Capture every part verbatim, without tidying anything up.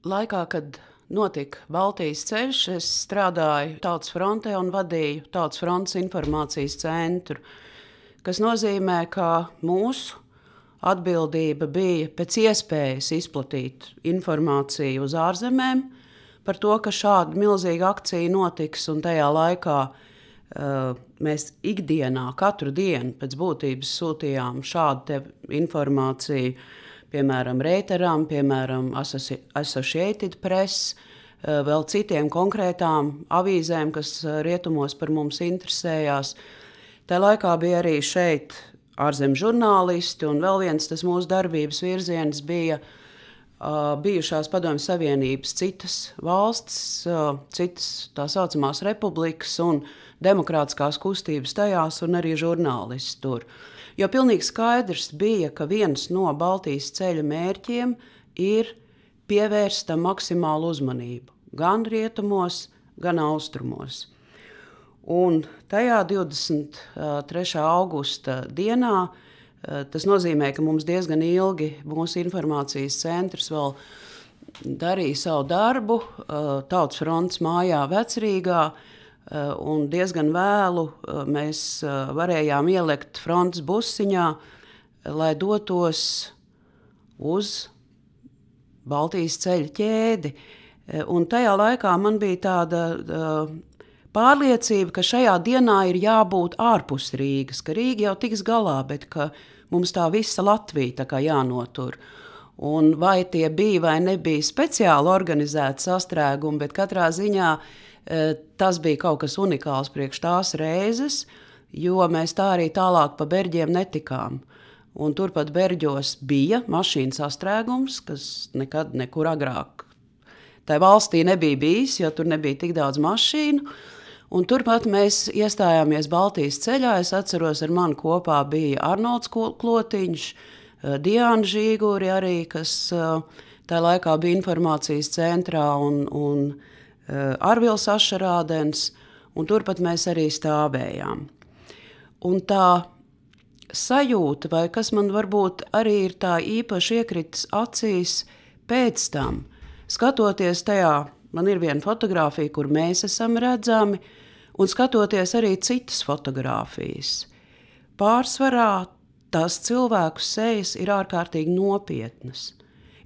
Laikā, kad notika Baltijas ceļš, es strādāju Tautas frontē un vadīju Tautas frontes informācijas centru, kas nozīmē, ka mūsu atbildība bija pēc iespējas izplatīt informāciju uz ārzemēm par to, ka šāda milzīga akcija notiks, un tajā laikā uh, mēs ikdienā, katru dienu pēc būtības sūtījām šādu informāciju, piemēram, Reuteram, piemēram, Associated Press, uh, vēl citiem konkrētām avīzēm, kas rietumos par mums interesējās. Tajā laikā bija arī šeit ārzemju žurnālisti, un vēl viens tas mūsu darbības virziens bija uh, bijušās Padomju Savienības citas valstis, uh, citas tā saucamās republikas un demokrātiskās kustības tajās, un arī žurnālisti tur. Jo pilnīgi skaidrs bija, ka viens no Baltijas ceļa mērķiem ir pievērst tam maksimālu uzmanību, gan rietumos, gan austrumos. Un tajā divdesmit trešā augusta dienā, tas nozīmē, ka mums diezgan ilgi mūsu informācijas centrs vēl darīja savu darbu Tautas frontes mājā Vecrīgā, un diezgan vēlu mēs varējām ielikt frontes busiņā, lai dotos uz Baltijas ceļa ķēdi. Un tajā laikā man bija tāda pārliecība, ka šajā dienā ir jābūt ārpus Rīgas, ka Rīga jau tiks galā, bet ka mums tā visa Latvija tā kā jānotur. Un vai tie bija vai nebija speciāli organizēti sastrēgumi, bet katrā ziņā tas bija kaut kas unikāls priekš tās reizes, jo mēs tā arī tālāk pa Berģiem netikām. Un turpat Berģos bija mašīnu sastrēgums, kas nekad nekur agrāk tai valstī nebija bijis, jo tur nebija tik daudz mašīnu. Un turpat mēs iestājāmies Baltijas ceļā. Es atceros, ar mani kopā bija Arnolds Klotiņš, Diāna Žīguri arī, kas tajā laikā bija informācijas centrā, un, un Arvils Ašarādens, un turpat mēs arī stāvējām. Un tā sajūta, vai kas man varbūt arī ir tā īpaši iekritis acīs pēc tam, skatoties tajā, man ir viena fotogrāfija, kur mēs esam redzami, un skatoties arī citas fotogrāfijas. Pārsvarā tās cilvēku sejas ir ārkārtīgi nopietnas.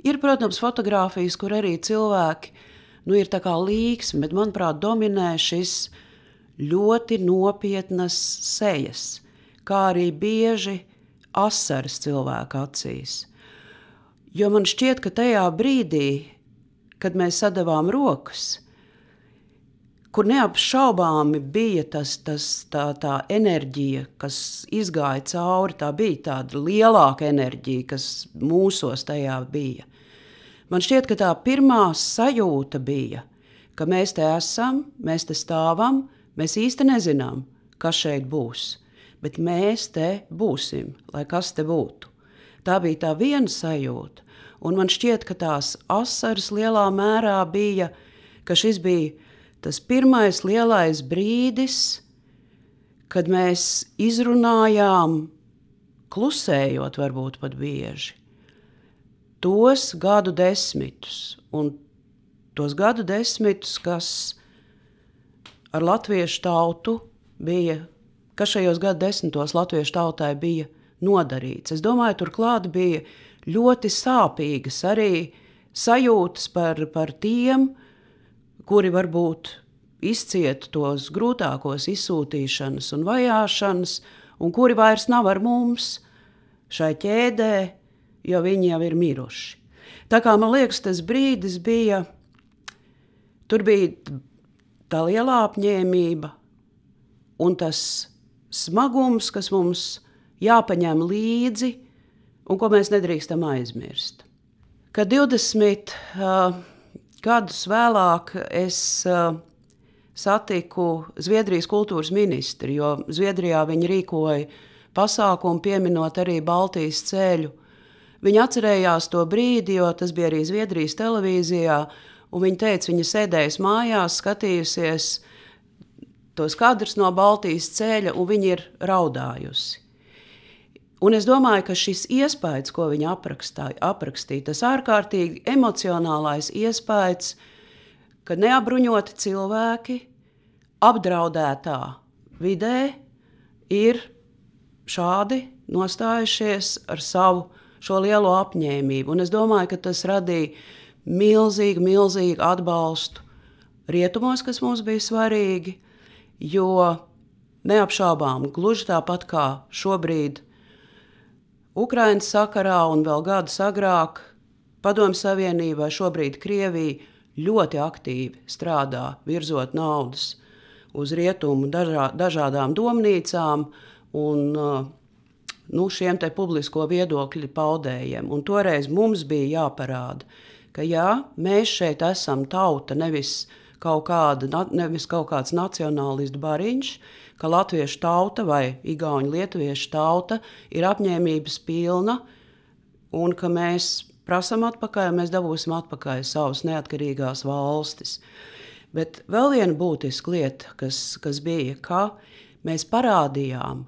Ir, protams, fotogrāfijas, kur arī cilvēki nu, ir tā kā līksmi, bet, manuprāt, dominē šis ļoti nopietnas sejas, kā arī bieži asaras cilvēku acīs. Jo man šķiet, ka tajā brīdī, kad mēs sadavām rokas, kur neapšaubāmi bija tas, tas, tā, tā enerģija, kas izgāja cauri, tā bija tāda lielāka enerģija, kas mūsos tajā bija. Man šķiet, ka tā pirmā sajūta bija, ka mēs te esam, mēs te stāvam, mēs īsti nezinām, kas šeit būs, bet mēs te būsim, lai kas te būtu. Tā bija tā viena sajūta. Un man šķiet, ka tās asaras lielā mērā bija, ka šis bija tas pirmais lielais brīdis, kad mēs izrunājām, klusējot varbūt pat bieži, tos gadu desmitus, un tos gadu desmitus, kas ar latviešu tautu bija, kas šajos gadu desmitos latviešu tautai bija nodarīts. Es domāju, turklāt bija ļoti sāpīgas arī sajūtas par, par tiem, kuri varbūt izcieta tos grūtākos izsūtīšanas un vajāšanas, un kuri vairs nav ar mums šai ķēdē, jo viņi jau ir miruši. Tā kā man liekas, tas brīdis bija, tur bija tā lielā apņēmība un tas smagums, kas mums jāpaņem līdzi, un ko mēs nedrīkstam aizmirst. Kad divdesmit uh, gadus vēlāk es uh, satiku Zviedrijas kultūras ministri, jo Zviedrijā viņi rīkoja pasākumu pieminot arī Baltijas ceļu. Viņi atcerējās to brīdi, jo tas bija arī Zviedrijas televīzijā, un viņi teica, viņa sēdējas mājās, skatījusies tos kadrus no Baltijas ceļa, un viņa ir raudājusi. Un es domāju, ka šis iespējas, ko viņa aprakstīja, aprakstīja, tas ārkārtīgi emocionālais iespējas, ka neapbruņoti cilvēki apdraudētā vidē ir šādi nostājušies ar savu šo lielo apņēmību. Un es domāju, ka tas radīja milzīgu, milzīgu atbalstu rietumos, kas mums bija svarīgi, jo neapšaubām gluži tāpat kā šobrīd Ukrainas sakarā un vēl gadus agrāk Padomju Savienībai, šobrīd Krievija ļoti aktīvi strādā, virzot naudas uz rietumu dažā, dažādām domnīcām un nu, šiem te publisko viedokļu paudējiem. Un toreiz mums bija jāparāda, ka jā, mēs šeit esam tauta, nevis kaut, kāda, nevis kaut kāds nacionālistu bariņš, ka latviešu tauta vai igauņu lietuviešu tauta ir apņēmības pilna un ka mēs prasam atpakaļ, mēs dabūsim atpakaļ savas neatkarīgās valstis. Bet vēl viena būtiska lieta, kas, kas bija, ka mēs parādījām,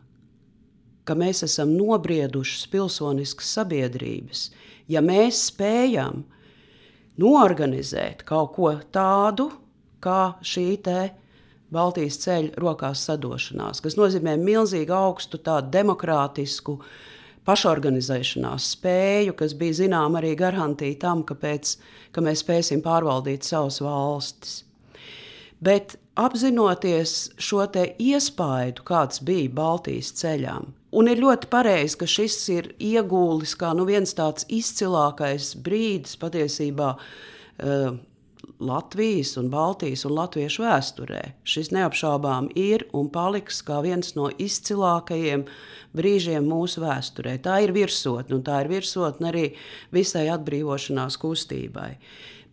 ka mēs esam nobriedušas pilsoniskas sabiedrības, ja mēs spējam noorganizēt kaut ko tādu, kā šī te Baltijas ceļa rokās sadošanās, kas nozīmē milzīgu augstu tādu demokrātisku pašorganizēšanās spēju, kas bija zinām arī garantija tam, ka, pēc, ka mēs spēsim pārvaldīt savas valstis. Bet apzinoties šo te iespaidu, kāds bija Baltijas ceļām, un ir ļoti pareizi, ka šis ir iegūlis kā nu viens tāds izcilākais brīdis patiesībā uh, Latvijas un Baltijas un latviešu vēsturē. Šis neapšaubām ir un paliks kā viens no izcilākajiem brīžiem mūsu vēsturē. Tā ir virsotne, un tā ir virsotne arī visai atbrīvošanās kustībai.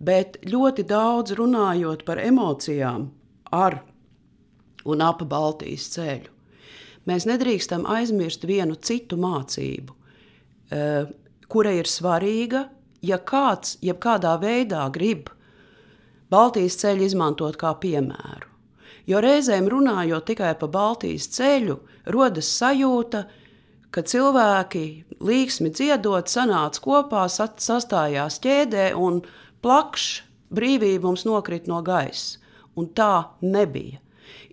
Bet ļoti daudz runājot par emocijām ar un ap Baltijas ceļu, mēs nedrīkstam aizmirst vienu citu mācību, kura ir svarīga, ja kāds jebkādā veidā grib Baltijas ceļu izmantot kā piemēru. Jo reizēm runājot tikai par Baltijas ceļu, rodas sajūta, ka cilvēki līksmi dziedot, sanāca kopā, sastājās ķēdē un plakš brīvība mums nokrit no gaisa. Un tā nebija.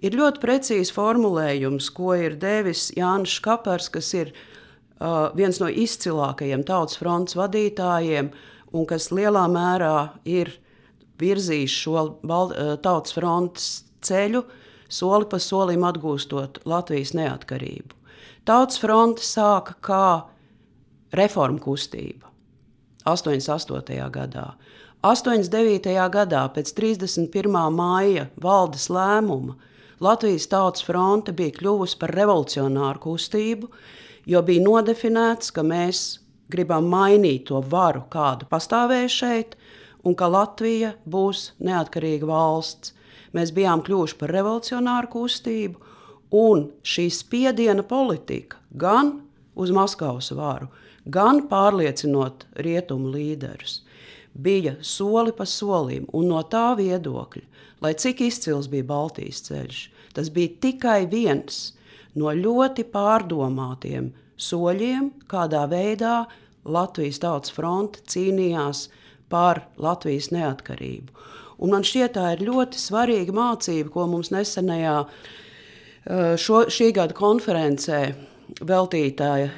Ir ļoti precīzi formulējums, ko ir devis Jānis Škapers, kas ir uh, viens no izcilākajiem Tautas frontes vadītājiem un kas lielā mērā ir virzījis šo Tautas frontes ceļu, soli pa solim atgūstot Latvijas neatkarību. Tautas fronte sāka kā reformu kustība astoņdesmit astotajā gadā. astoņdesmit devītajā gadā pēc trīsdesmit pirmā māja valdes lēmuma Latvijas Tautas fronte bija kļuvusi par revolucionāru kustību, jo bija nodefinēts, ka mēs gribam mainīt to varu, kādu pastāvēja šeit, un ka Latvija būs neatkarīga valsts. Mēs bijām kļuvuši par revolucionāru kustību, un šī spiediena politika gan uz Maskavas varu, gan pārliecinot rietumu līderus, bija soli pa solim, un no tā viedokļa, lai cik izcils bija Baltijas ceļš, tas bija tikai viens no ļoti pārdomātiem soļiem, kādā veidā Latvijas Tautas fronte cīnījās par Latvijas neatkarību. Un man šķiet, tā ir ļoti svarīga mācība, ko mums nesenajā šo, šī gada konferencē, veltītāja,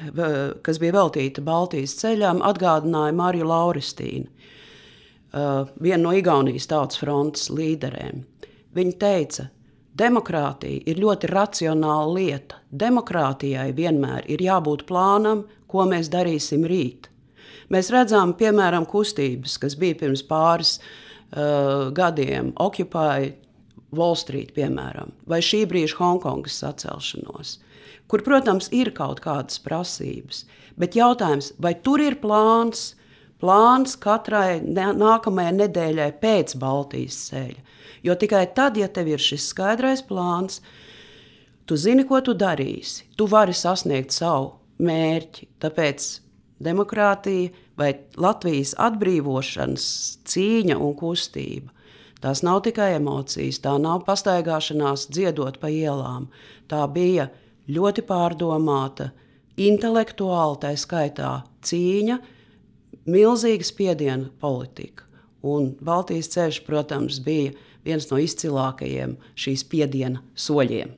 kas bija veltīta Baltijas ceļām, atgādināja Marju Lauristīnu, vienu no Igaunijas Tautas frontes līderēm. Viņa teica, demokrātija ir ļoti racionāla lieta. Demokrātijai vienmēr ir jābūt plānam, ko mēs darīsim rīt. Mēs redzam, piemēram, kustības, kas bija pirms pāris uh, gadiem, Occupy Wall Street, piemēram, vai šī brīža Hongkongas sacelšanos, kur, protams, ir kaut kādas prasības, bet jautājums, vai tur ir plāns, plāns katrai ne- nākamajai nedēļai pēc Baltijas ceļa, jo tikai tad, ja tev ir šis skaidrais plāns, tu zini, ko tu darīsi, tu vari sasniegt savu mērķi, tāpēc demokrātija vai Latvijas atbrīvošanas cīņa un kustība. Tās nav tikai emocijas, tā nav pastaigāšanās dziedot pa ielām. Tā bija ļoti pārdomāta intelektuāli, tā skaitā cīņa, milzīga spiediena politika. Un Baltijas ceļš, protams, bija viens no izcilākajiem šīs spiediena soļiem.